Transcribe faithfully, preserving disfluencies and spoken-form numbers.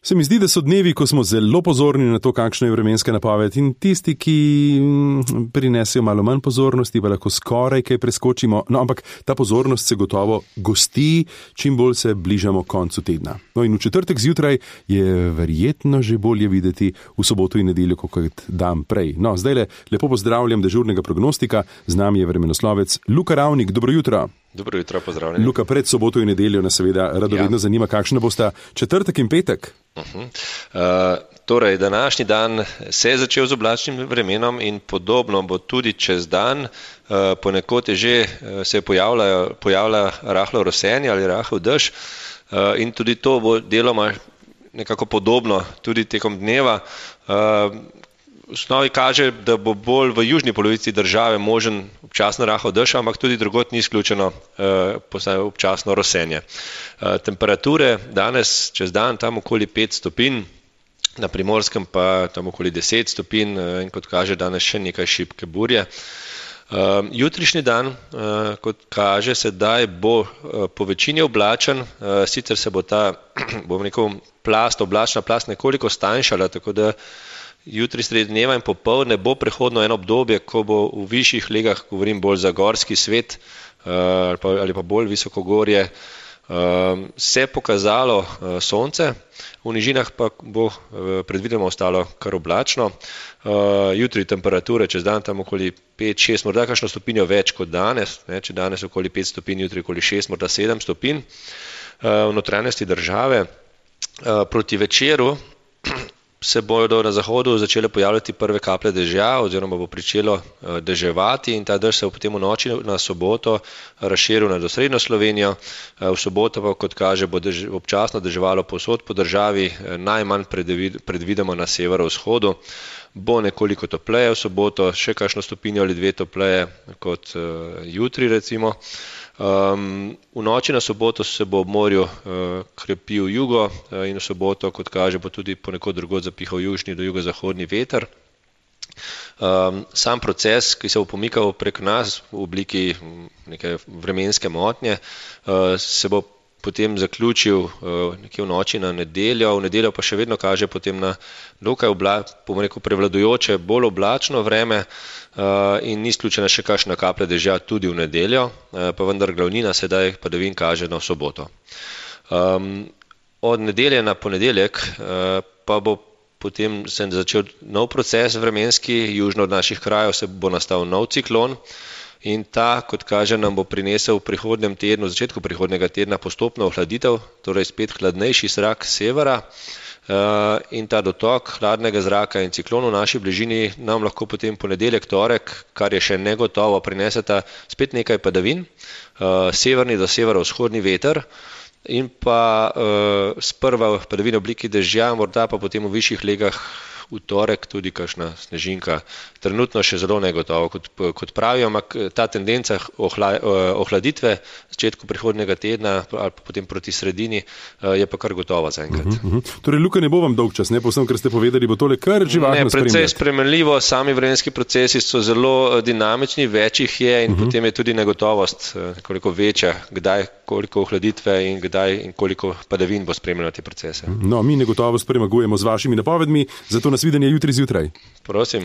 Se mi zdi, da so dnevi, ko smo zelo pozorni na to, kakšna je vremenska napoved, in tisti, ki prinesejo malo manj pozornosti, pa lahko skoraj kaj preskočimo. No, ampak ta pozornost se gotovo gosti, čim bolj se bližamo koncu tedna. No, in v četrtek zjutraj je verjetno že bolje videti, v soboto in nedeljo kot dan prej. No, zdaj le lepo pozdravljam dežurnega prognostika, z nami je vremenoslovec Luka Ravnik. Dobro jutro. Dobro jutro, pozdravljeni. Luka, pred soboto in nedeljo nas seveda radovedno ja. zanima, kakšna bosta četrtek in petek. Uh-huh. Uh, torej, današnji dan se je začel z oblačnim vremenom in podobno bo tudi čez dan. Uh, ponekod je že uh, se pojavlja, pojavlja rahlo rosenje ali rahel dež uh, in tudi to bo deloma nekako podobno tudi tekom dneva. Uh, V osnovi kaže, da bo bolj v južni polovici države možen občasno rahel dež, ampak tudi drugod ni izključeno eh, občasno rosenje. Eh, temperature danes čez dan tam okoli pet stopinj, na Primorskem pa tam okoli deset stopinj eh, in kot kaže danes še nekaj šibke burje. Uh, jutrišnji dan, uh, kot kaže, sedaj bo uh, po večini oblačen, uh, sicer se bo ta, bom rekel, plast, oblačna plast nekoliko stanjšala, tako da jutri sredi dneva in popoldne bo prehodno eno obdobje, ko bo v višjih legah, govorim bolj za gorski svet uh, ali, pa, ali pa bolj visokogorje, uh, se pokazalo uh, sonce, v nižinah pa bo uh, predvideno ostalo kar oblačno. Uh, jutri temperature čez dan tam okoli pet šest, morda kakšno stopinjo več kot danes, ne, če danes okoli pet stopinj, jutri okoli šest, morda sedem stopinj uh, v notranjosti države. Uh, proti večeru se bodo na zahodu začele pojavljati prve kaplje dežja oziroma bo pričelo deževati in ta dež se bo potem v noči na soboto razširil na osrednjo Slovenijo. V soboto pa, kot kaže, bo dež, občasno deževalo povsod po državi, najmanj predvidimo na severovzhodu. Bo nekoliko topleje v soboto, še kakšno stopinjo ali dve topleje kot uh, jutri recimo. Um, v noči na soboto se bo ob morju uh, krepil jugo uh, in v soboto, kot kaže, bo tudi ponekod drugod zapihal južni do jugozahodni veter. Um, sam proces, ki se bo pomikal prek nas v obliki neke vremenske motnje, uh, se bo potem zaključil uh, nekje v noči na nedeljo, v nedeljo pa še vedno kaže potem na dokaj obla, bom rekel, prevladujoče bolj oblačno vreme uh, in ni izključena še kakšna kaplja dežja tudi v nedeljo, uh, pa vendar glavnina sedaj padavin kaže na soboto. Um, od nedelje na ponedeljek uh, pa bo potem se začel nov proces vremenski, južno od naših krajev se bo nastal nov ciklon. In ta, kot kaže, nam bo prinesel v prihodnjem tednu, v začetku prihodnjega tedna postopno ohladitev, torej spet hladnejši zrak severa uh, in ta dotok hladnega zraka in ciklon v naši bližini nam lahko potem ponedeljek, torek, kar je še negotovo, prineseta spet nekaj padavin, uh, severni do severovzhodni veter in pa uh, sprva padavine v obliki dežja, morda pa potem v višjih legah v torek tudi kakšna snežinka. Trenutno še zelo negotovo, kot, kot pravijo, ampak ta tendenca ohla, ohladitve v začetku prihodnjega tedna ali pa potem proti sredini je pa kar gotova zaenkrat. Uh-huh, uh-huh. Torej, Luka, ne bo vam dolg čas, ne povsem, ker ste povedali, bo tole kar živahno spremljati. Ne, precej spremenljivo, sami vremenski procesi so zelo dinamični, več jih je in uh-huh. potem je tudi negotovost koliko večja, kdaj, koliko ohladitve in kdaj in koliko padavin bo spremljalo te procese. No, mi negotovost premagujemo z vašimi napovedmi, zato nas videnje jutri zjutraj. Prosim.